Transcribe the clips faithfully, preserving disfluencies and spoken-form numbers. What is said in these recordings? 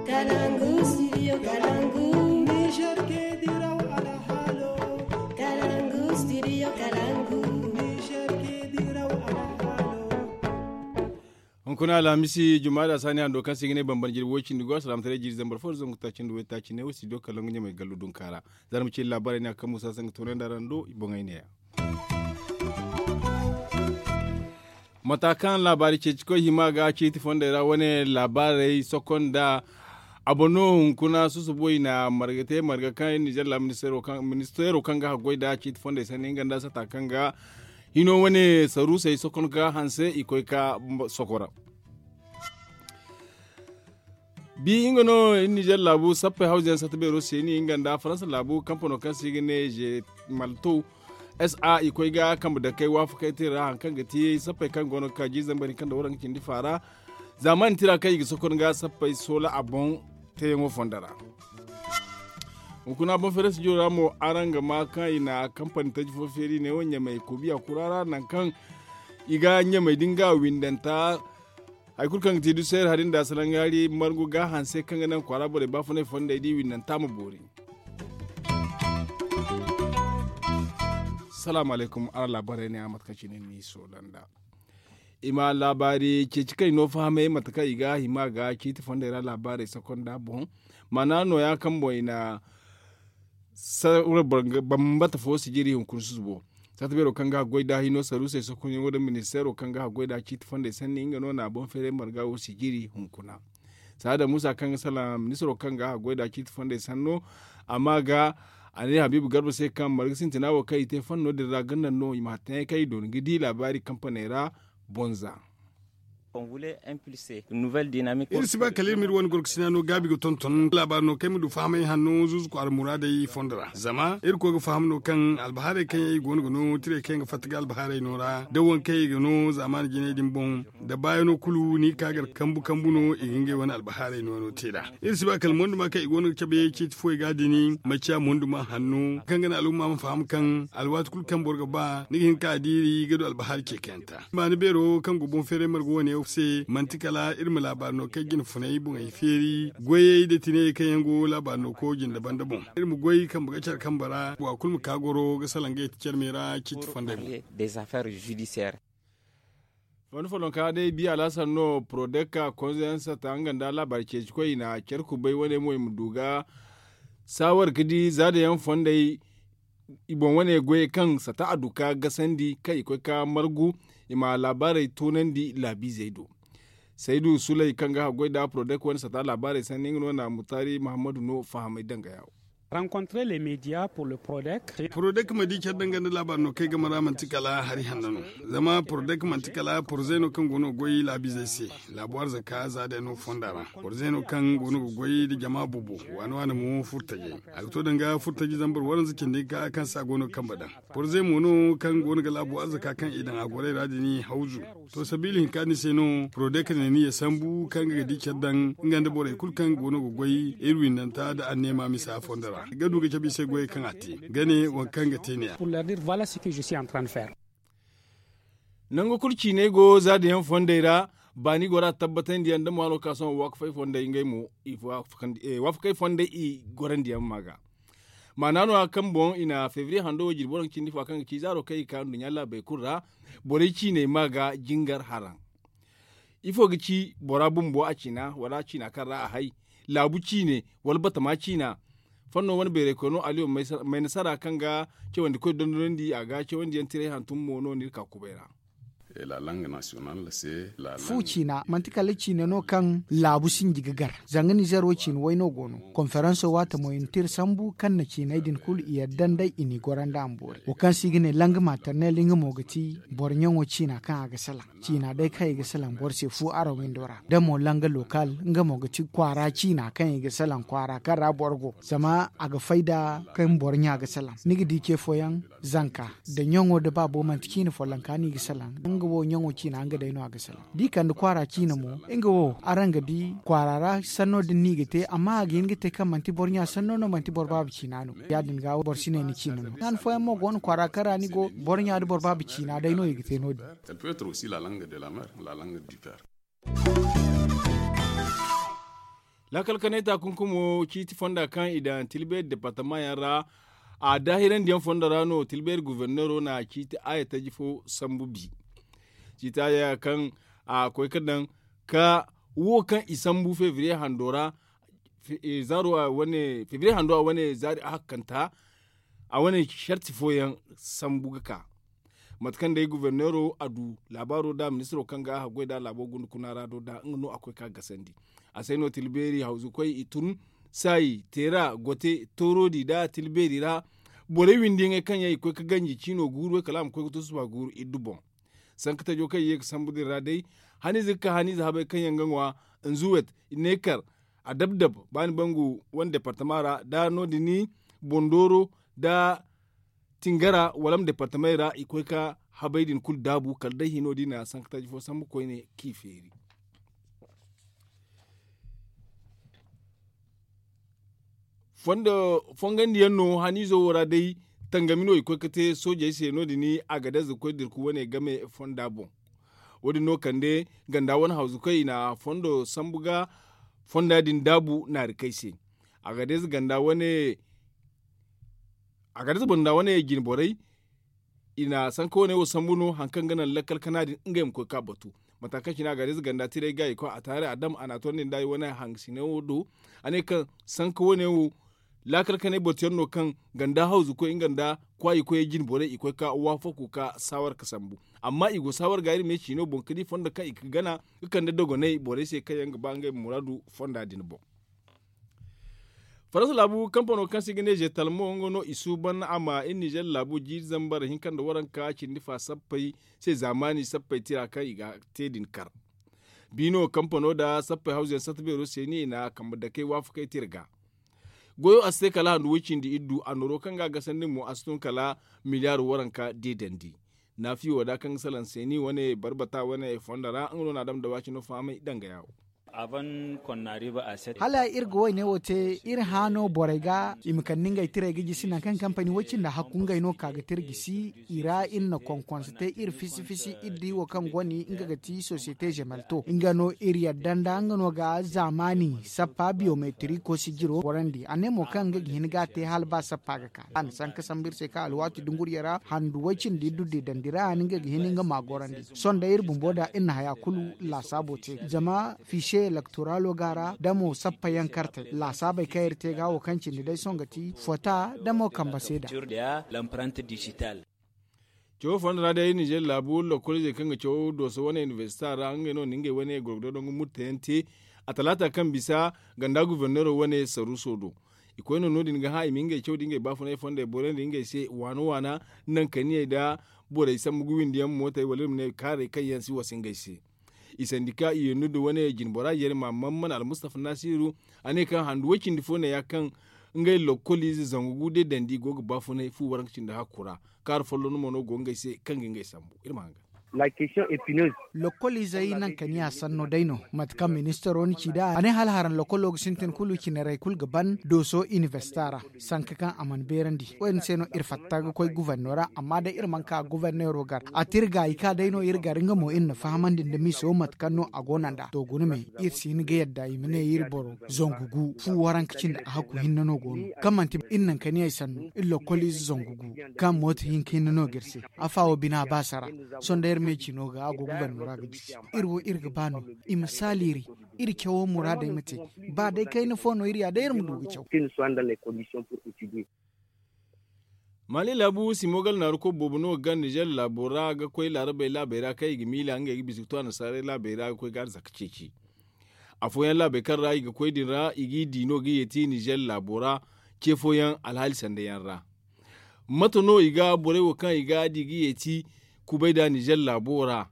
Kalangu, studio Kalangu. Niger ke diraw alhalo. Kalangu, studio Kalangu. Niger ke diraw alhalo. Hunkuna alhamisi, jumaada saani hando kaŋ se i ga ne bambara jirbi way cindi go, alsilaamataray jiiri zambar fo nda zangu taaci nda way taaci ne wo, studio Kalangu ɲamay gallu dunkaara. Za ni ma ci iri laabaarey ne a kaŋ musa se nga toonandi araŋ do i boŋey ne-ya. Mata kaŋ laabaari ceeci koy hima ga ciiti fondey ra wane laabaarey sokonda. A boŋ no hunkuna susubo i na marga te marga kaŋ iri nizer laabu ministeero kaŋ ga haggoy nda ciiti fondey sanni nga nda sata kaŋ ga hino wane saruusey sokon ga hanse i koy ka sokora. Bi nga no iri nizer laabu sappey hawza yaŋ sata beero seeni nga nda faransa laabu kampano kaŋ se i ga ne je malto sa i koy ga kambe dakey waafakey te ra hari kaŋ ga ti sappey kaŋ go no ga ka jiiri zambar hinka nda waranka cindi faara. Zaamaani tira kaŋ i ga sokon ga sappey soola a boŋ teeyaŋo fondo ra. Hunkuna boŋ feere studio ra mo araŋ ga ma kaŋ i na kampani taji fo feeri ne wo ɲamay kobiya kura ra nangu kaŋ i ga ɲamay din ga windanta. Hari kulu kaŋ ga ti duseer hari nda salaŋ yaari margu ga hanse kaŋ ga naŋ kwaara borey baafunay fondey di windanta ma boori. Salaamu alaykum araŋ laabaarey ne a mate kaŋ cine ni soola nda i ma laabaari ceeci kaŋ i no fahamay mate kaŋ i ga hima ga ciiti fondey ra laabaarey sokonda boŋ. Maana nooya kaŋ boŋ i na sawra bambata fo sijiri hunkuna susubo. Saata beero kaŋ ga haggoy da hino saruusey sokonyaŋo nda ministeero kaŋ ga haggoy da ciiti fondey sanni nga no na boŋ feeray marga wo sijiri hunkuna. Saada muusa kaŋ ga salaŋ ministiro kaŋ ga haggoy da ciiti fondey sanno amma ga a ne habiibu garba se kaŋ marga sintina wo kaŋ i te fanno din ra ga naŋ no i ma hattaŋey kaŋ i dooni ga di laabaari kampaney ra. Bonza. Iri si ba kala iri ma iri wane gorkasina no gaabi ga tonton laabaari no kaŋ ay ma du fahamay hanno zuuzu kwaara muraadey fondo ra zama iri koy ga faham no kaŋ albahaarey kaŋ yaŋ i go no ga no tirey kaŋ yaŋ ga fatta ga albahaarey no ra da waŋ kaŋ i ga no zaamaani jinay din boŋ. Da baayano kulu ni ga ka gar kambu kambu no i ga ngey wane albahaarey no no te nd'a. Iri si ba kala monduma kaŋ i go no ga cabe ciiti fooyaŋ ga din maciya monduma hanno kaŋ ga naŋ al'umma ma faham kaŋ alwaati kulu kaŋ boro ga ba ni ga hin ka diiri ga du albahaari ceekayanta. Baani beero kaŋ go boŋ feeray marga wane se manti kala iri ma laabaari no kaŋ ay jina funay boŋey feeri goyey nda tinayey kaŋ yaŋ go laabaari no ko jinde banda boŋ. Iri ma goy kambe ga care kambe ra wa kulu ma ka goro ga salaŋ ga yeti care me ra ciiti fondey boŋ. Wani follonka day biya alhasan no porodekka konzo yaŋ sata nga nda laabaari ceeci koy i na care kubay wane mo i ma du ga saawar ga di za da yaŋ fondey. I boŋ wane goyey kaŋ sata a du ka gasandi kaŋ i koy ka margu i ma laabaarey toonandi laabiizey do. Saydu sulay kaŋ ga haggoy nda porodekka wane sata laabaarey sanni nga no na mutaari mahammadu no fahamay danga yawo. Rencontrer les médias pour le prodec. Prodec ma di care danga nda laabaari no kaŋ ay game ra manti kala hari hanno no. Zama prodec manti kala porozey no kaŋ go no ga goy laabiizey se. Laabu arzaka za day no fonda ra porozey no kaŋ go no ga goy nda jama boobo. Waani waani mo furtajey a ga to danga furtaji zambar waranza cindi ga kaŋ se a go no ga kambe daŋ. Porze mo no kaŋ go no ga laabu arzaka kaŋ i daŋ a gorey ra din hawzu. To sabiila hinka din se no porodek ne ni ya sambu kaŋ ga di care daŋ nga nda borey kulu kaŋ go no ga goy iri windanta nda anneema misa fondo ra ga du ga cabe i se goyey kaŋ a te ga ne waŋ kaŋ ga te ne ya. Nangu kulu ciiney go za da yaŋ fondey ra. Baani gora tabbatandi yaŋ da mo hano ka sohõ waafakey fondey ngey mo waafakey fondey i gorandi yaŋ ma ga. Maana no- ya kaŋ boŋ i na febriye hando wo jirbi waranka cindi fo kaŋ ga ci zaaro kaŋ i ga ka nduɲɲa laabey kulu ra. Borey ciiney ma ga jingar haraŋ. Ifo ga ci bora bumbo a ciina wala ciina kaŋ ra a hay? Laabu ciine wala batama ciina? Fanno wane beerey koy no aliyo maynasara kaŋ ga cawandi koy dondonandi a ga cawandi yaŋ tiray hantum mo no no iri ka kubay ra. Fu ciina manti kala ciine no kaŋ laabu sinji ga gar. Zanga nizer wo ciine way no go no. Konferanso waate mo i na tira sambu kaŋ na ciiney din kulu i yadda nd'ey i n'i gorandi a ma boori wo kaŋ se i ga ne langa maternel nga mo ga ti boro ɲaŋo ciina kaŋ a ga salaŋ. Ciina day kaŋ i ga salaŋ boro se fu araŋ windo ra da mo langa lokal nga mo ga ti kwaara ciina kaŋ i ga salaŋ kwaara kaŋ ra boro go zama a ga fayda kaŋ boro ɲa ga salaŋ ni ga di ce fooyaŋ. Zanka nda ɲaŋo nda baabo manti ciine follonka no i ga salaŋ nga wo ɲaŋo ciina nga day no a ga salaŋ da i kande kwaara ciine mo. Nga wo araŋ ga di kwaara ra sanno din no i ga te amma a ga hin ga te kaŋ manti boro ɲa sanno no manti boro baaba ciina no. Ya- din ga boro si ne ni ciine no han fooyaŋ mo go no kwaara kaŋ ra ni go boro ɲa nda boro baaba ciina day no i ga te no- din. Laakal kanay taakunkumo ciiti fonda kaŋ i daŋ tilbeeri departama yaŋ ra. A daahirandi yaŋ fondo ra no tilbeeri goforneero na ciiti aaya taji fo sambu bi. Ciiti aaya kaŋ a koy ga daŋ ka wo kaŋ i sambu febriye hando ra. Febriye hando a wane zaari a hakkanta a wane sarti fooyaŋ sambu ga ka. Mate kaŋ day goforneero a du laabaaro nda ministiro kaŋ ga a haggoy nda laabo gunda kuna ra do nda nga no a koy ka gasandi. A se no tilbeeri hawzukoy i tun saayi teera gote tooroodi nda tilbeeri ra. Borey windi yaŋey kaŋ yaŋ i koy ga ganji ciino guuru way kala a ma koy ga to suba guuru iddu boŋ. Sanka tajo kaŋ i ye ga sambu din ra day haniize ga ka haniize habay kaŋ yaŋ ga ŋwa nzuwet neekar a dab dab ba ni bangu wane departama ra nda no- din ni bondooro nda tingara wala ma departamey ra i koy ga habay din kulu daabu kala day hino da i na sanka taji fo sambu koyne kaŋ i feeri. Fongandiyaŋ no haniizo wo ra day tangami no i koy ga te soojey se no- din agadez ga koy dirku wane game fonda boŋ. Wo- din no kande ganda wane hawzukoy i na fondo sambu ga fonda din daabu naari kay se. Agadez ganda wane agadez banda wane jine borey i na sanka wane wo sambu no hari kaŋ ga naŋ lakkal kana din ngey ma koy ga batu. Mata kaŋ cine agadez ganda tiray ga i koy a taari a dam a na a tondi nda i wane hangasine wo do. A ne kaŋ sanka wane wo laakal kanay batu yaŋ no kaŋ ganda hawzu koy nga nda kwaayi koyey jine borey i koy ga waafaku ga saawar ga sambu. Amma i go saawar ga iri me ciino boŋ ga di fondo kaŋ i ga gana ga kande dogonay borey se kaŋ yaŋ ga ba ngey ma muraadu fonda din boŋ. Faransa laabu kampano kaŋ se i ga ne zeetalmo nga no i suuban a ma iri nizer laabu jiiri zambar hinka nda waranka cindi fa sappey se zaamaani sappey tira kaŋ i ga te din kar. Biino kampano nda sappey hawzuyaŋ satta beero se ni i na kambe dakey waafakey tira ga. Goyo a si te kala handu way cindi iddu annooro kaŋ ga a gasandi mo a si tun kala miliyaar waranka deedandi. Naafiyo da kaŋ ga salaŋ se ni wane barbata wane fondo ra nga no na a dam da waacino fahamay danga yaawo. Hala iri ga wayne wo te iri hã no borey ga i ma kande ngey tirey ga jisi nangu kaŋ kampani way cindi hakku ngey no ka ga te iri jisi. I ra iri na konkonse te iri fisi fisi iri di wo kaŋ goni nga ga ti sosiyete zemelto nga no iri yadda nda nga no ga zaamaani sappa biyometiriko sijiro gorandi a ne mo kaŋ nga ga hin ga a te hala ba sappa ga ka a na sanka sambu iri se kaŋ alwaati dunguriya ra handu way cindi iddu deedandi ra a na nga ga hin nga ma gorandi. Sohõ day iri bumbo da iri na haya kulu laasaabo te zama fiise elektoralo ga ra da mo sappa yaŋ kartey laasaabey kaŋ iri te ga wo kaŋ cindi day sohõ ga ti fota da mo kambe seeda. Cawo fooyaŋ ra day iri nizer laabu lokkoliizey kaŋ ga caw dooso wane inibersita ra ngey no na ngey wane gorgodo nangu murtayaŋ te. A talaata kaŋ bisa ganda guforneero wane saruuso do. I koy no no- din ga hã i ma ngey caw da ngey baafunay fondey borandi ngey se waana waana naŋ kaniyey nda borey sambu ga windi yaŋ mootey wala iri ma ne kaarey kaŋ yaŋ si wasa ngey se. I sandi ka i yeenno da wane jinbora yerma mamman almustafa nasiru a ne kaŋ handu way cindi fo ne ya kaŋ ngey lokkoliize zangu gu deedandi i go ga baafunay fu waranka cindi hakku ra. Kaara folloŋ mo no go ngey se kaŋ ga ngey sambu iri ma haŋ ga. Lokkoliizey naŋ kaniya sanno day no mate kaŋ ministaro na ci nd'a a ne hala haraŋ lokkolo ga sintin kulu cinarey kulu ga ban dooso inibersita ra. Sanka kaŋ a mana beerandi wo- din se no iri fatta ga koy guforno ra amma day iri mana ka gufornero gar a te iri gaayi ka day no iri gar nga mo iri na fahamandi nda miso mate kaŋ no a go no nd'a to guna me. Iri si hin ga yadda i ma ne iri boro zangu gu fu waranka cindi a hakku hinne no go no kaŋ manti iri naŋ kaniya ay sanno iri lokkoliize zangu gu kaŋ mooto hinka hinne no ga iri se. Afa wo bina baasa ra sohõ day iri me cino ga a go guforno ra ga jisi. Iri wo iri ga ba no i ma saaliiri iri cawo muraadey ma te ba day kayna fo no iri ya day iri ma du ga caw. Mali laabu simogal naaru koy boobo no ga gar nizer laabo ra ga koy laarabey laabey ra kaŋ i ga miila ngey ga bisa ga to annasaarey laabey ra ga koy ga arzaka ceeci. Afooyaŋ laabey kaŋ ra i ga koy din ra i g'i di no ga yeeti nizer laabo ra ce fooyaŋ alhaali sanda yaŋ ra. Mate no i ga borey wo kaŋ i ga di ga yeeti kubay nda nizer laabo ra?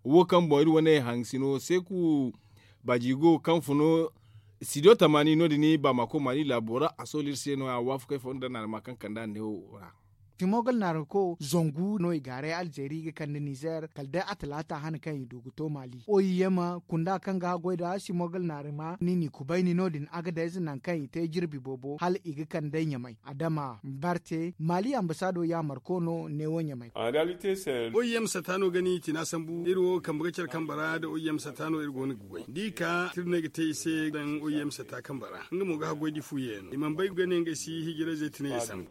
Wo kaŋ boŋ iri wane hangasino seeku baajigo kaŋ fun studio tamaani no- din baamako maani laabo ra a sohõ iri se no- ya waafakey fo nda naarama kaŋ kand'a neewo ra. Simogal naariko zangu no i gaaray alzeeri ga kande nizer kala day a talaata hane kaŋ i du ga to maali oyema kunda kaŋ ga haggoy nda simogal naarima ni n'i kubayni no- din agadayze nangu kaŋ i te jirbi boobo hala i ga kande ɲamay adama barte maali ambasaado yaamarko no neewo ɲamay. Oyema sata no ga ni tina sambu iri wo kambe ga care kambe ra nda oyema sata no iri go no ga goy da i ka tirney ga te i se daŋ oyema sata kambe ra nga mo ga haggoy da i fu yeeno i mana bay ga ne ngey si hijirayzey tinay i sambu.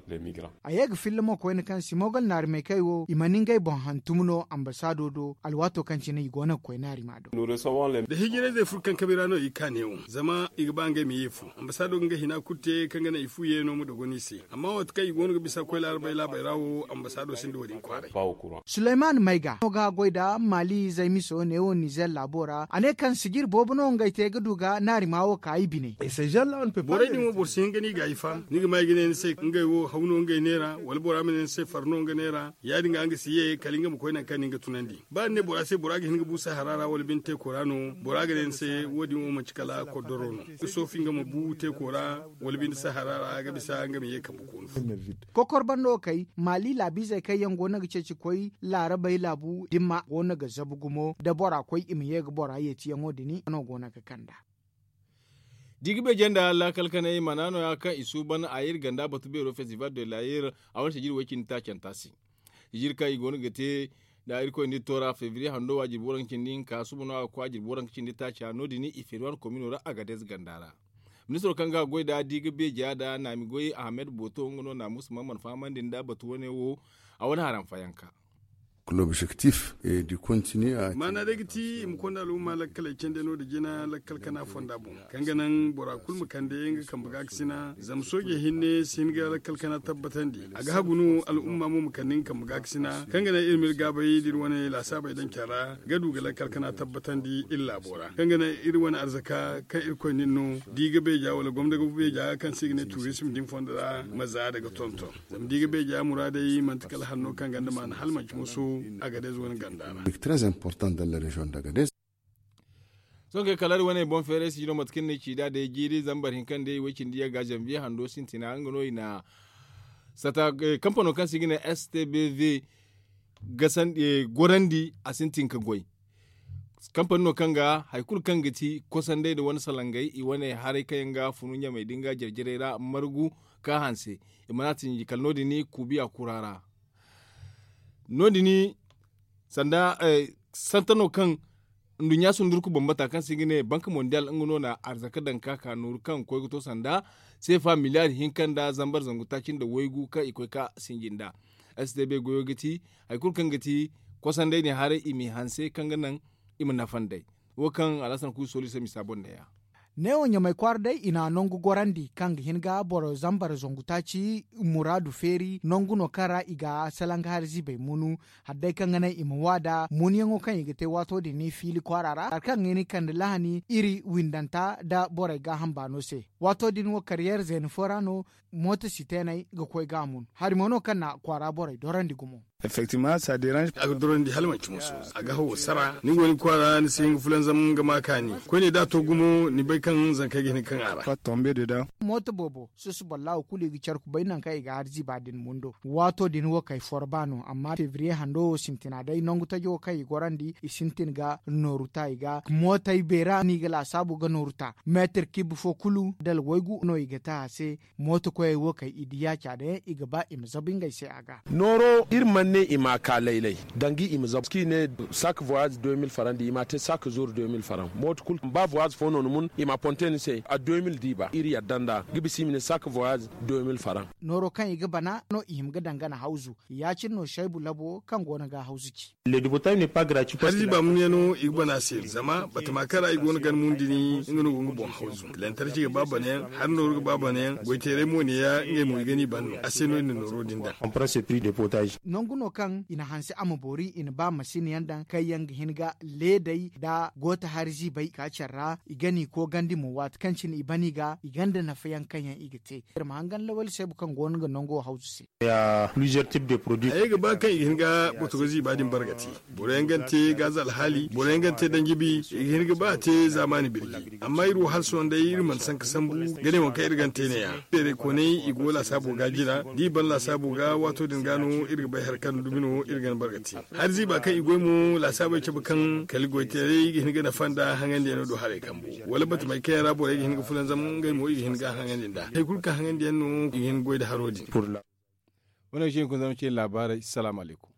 A ye ga filla mo koyne kaŋ simogal naari maykey wo i mana ngey boŋ hantum no ambasaado do alwaato kaŋ cine i go no ga koy naari ma do. Da hijirayzey furo kaŋ kabe ra no i ga ka neewo zama i ga ba ngey ma ye fu. Ambasaado ga nga hina kulu te kaŋ ga naŋ i fu yeeno ma dogon i se amma waati kaŋ i go no ga bisa koy laarabey laabey ra wo ambasaado sinda wo- din kwaaray. Suleyman mayga no ga goy nda maali zaymiso neewo nizer laabo ra a ne kaŋ sijir boobo no ngey te ga du ga naari ma wo ka i bine. Borey din wo boro si hin ga no i ga ay fa ni ga ma i ga ne ni se ngey wo haw no ngey neera wala bora ma ne ni se far no nga neera ya- din ga nga si ye kala nga ma koy nangu kaŋ ni ga tunandi ba ni ne bora se bora ga hin ga bu sahara ra wala binde teeko ra no bora ga ne ni se wo- din wo manci kala koddoro no ga soofi nga ma bu teeko ra wala binde sahara ra ga bisa nga ma ye kambe koonu fo. Kokor bando kay maali laabiizey kaŋ yaŋ go no ga ceeci koy laarabey laabu dimma go no ga zabu gumo da bora koy i ma ye ga bora yeetiyaŋo din no go no ga kand'a. Da i ga beeje nda laakal kanay mana nooya kaŋ i suuban a iri ganda batu beero festival de layer a wane sijiri way cindi taacanta se. Sijiri kaŋ i go no ga te nda irkoy nda iri toora febriye hando wa jirbi waranka cindi hinka suba no a ga koy a jirbi waranka cindi taaca no- din i feeri wane komino ra agadez ganda ra. Ministiro kaŋ ga goy nda da i ga beeja nda naami goy ahmed boto nga no naamusa ma mana fahamandi nda batu wane wo a wane haranfayanka. Maana day ga ti i ma konda al'umma lakkaley candi no nda jina lakkal kana fonda boŋ kaŋ ga naŋ bora kulu ma kande nga kambe gaakasina zama sooje hinne si hin ga lakkal kana tabbatandi. A ga hagu no al'umma mo ma kande nga kambe gaakasina kaŋ ga naŋ iri ma iri gaabay da iri wane laasaabey daŋ care ra ga du ga lakkal kana tabbatandi iri laabo ra kaŋ ga naŋ iri wane arzaka kaŋ irkoy na iri no da i ga beeja wala gomna ga beeja kaŋ se i ga ne tuurisim din fondo ra ma za daga tonton. Zama da i ga beeja muraadey manti kala hanno kaŋ ganda maana hala manci musu a ga day zuwan ganda ra. Sohõ kay kala hari wane boŋ feeray sijino mate kaŋ ni ci da day jiiri zambar hinka nda iway cindi yagga zanbiye hando sintina nga no i na sata kampano kaŋ se i ga ne stbv gorandi a sintin ka goy. Kampani no kaŋ ga hari kulu kaŋ ga ti kosandey nda wane salangey i wane haray kaŋ yaŋ ga funu ɲamey din ga jare-jarey ra margu ka hanse i mana a tinji kala no- din kuubiya kura ra. No- din sanda santa no kaŋ nduɲɲa sundurku bambata kaŋ se i ga ne banka mondial nga no na arzaka daŋ ka ka nooru kaŋ ga koy ga to sanda seefa miliyar hinka nda zambar zangu taaci nda waygu kaŋ i koy ka sinji nda. Stb goyo ga ti hari kulu kaŋ ga ti kosandey din haray i m'i hanse kaŋ ga naŋ i ma nafa nd'ey. Wo kaŋ alhasan kuusu sooli se misa boŋ neeya. Neewo ɲamay kwaara day i na nangu gorandi kaŋ ga hin ga boro zambar zangu taaci muraadu feeri nangu no kaŋ ra i ga salanga hari ziibay munu. Hala day kaŋ ga naŋ i ma waada munyaŋo kaŋ i ga te waato din fiili kwaara ra hari kaŋ ga hin ga kande lahani iri windanta nda borey gaaham baano se. Waato din wo kariyeer zeena fo ra no mooto siteeney ga koy ga a mun hari mo no kaŋ na kwaara borey dorandi gumo. A ga dorandi hala manci musu a ga hawo sara ni go ni kwaara ni si hin ga fulanzam ga ma kaani koyne da a to gumo ni bay kaŋ zankey ga hin ga kaŋ a ra. Mooto boobo susu boro laawo kulu i ga care kubay nangu kaŋ i ga hari ziiba din mundo waato din wo kay forba no amma febriye hando wo sintina day nangu tajo wo kaŋ i gorandi i sintin ga nooru ta i ga mootey beera no i ga laasaabu ga nooru ta meetir kib fo kulu dala waygu no i ga te a se. Mooto koyey wo kay i di yaaca day i ga ba i ma zabu ngey se a ga. Nooro iri mana ne i ma a ka laylay danga i ma zabu kaŋ i ne sak voyage deux mille faran da i ma a te sak zur deux mille faran mooto kulu ba voyage fo no ni mun i ma a ponte ni se a deux mille diiba iri yadda nd'a ga bisa i ma ne sak voyage deux mille faran. Nooro kaŋ i ga bana no i hima ga dangana hawzu ya- cine no saybu labo kaŋ go no ga hawzu ci. Hari ziiba munyaŋo i ga bana se zama batama kaŋ ra i go no ga ni mun dini nga no go nga boŋ hawzu lantarki ga ba banayaŋ hari nooru ga ba banayaŋ goyteeray mo neeya ngey mo i ga ni ban no a se no i na nooro din daŋ. Nangu no kaŋ i na hanse a ma boori i na ba masin yaŋ daŋ kaŋ yaŋ ga hin ga leedey nda goota hari ziibey ka care ra i gani koogandi mo waati kaŋ cine i ban i ga i gonda nafa yaŋ kaŋ yaŋ i ga te. Iri ma hangan lawali seebu kaŋ go no ga nango hawzu se. Hayey ga ba kaŋ i ga hin ga botogo ziiba din bargati. Boro yaŋ ga ni te gaaza alhaali boro yaŋ ga ni te danjibi i ga hin ga ba a te zaamaani birji. Amma iri wo hala sohõ day iri mana sanka sambu ga ne waŋ kaŋ iri ga ni te ne- ya. Beerey koonay i go laasaabo ga jina da i ban laasaabo ga waato din ga no iri ga bay hari kaŋ dumi no iri ga ni bargati. Hari ziiba kaŋ i goy mo laasaabey cabe kaŋ kala goytaray ga hin ga nafa nda haŋandiyaŋo do haray kambu wala batamey kaŋ yaŋ ra borey ga hin ga fulanzam ngey mo i ga hin ga haŋandi nda hari kulu kaŋ haŋandiyaŋ no i ga hin ga goy nda haro din. Wane ga ci hunkuna zama cine laabaarey salaamu alaykum.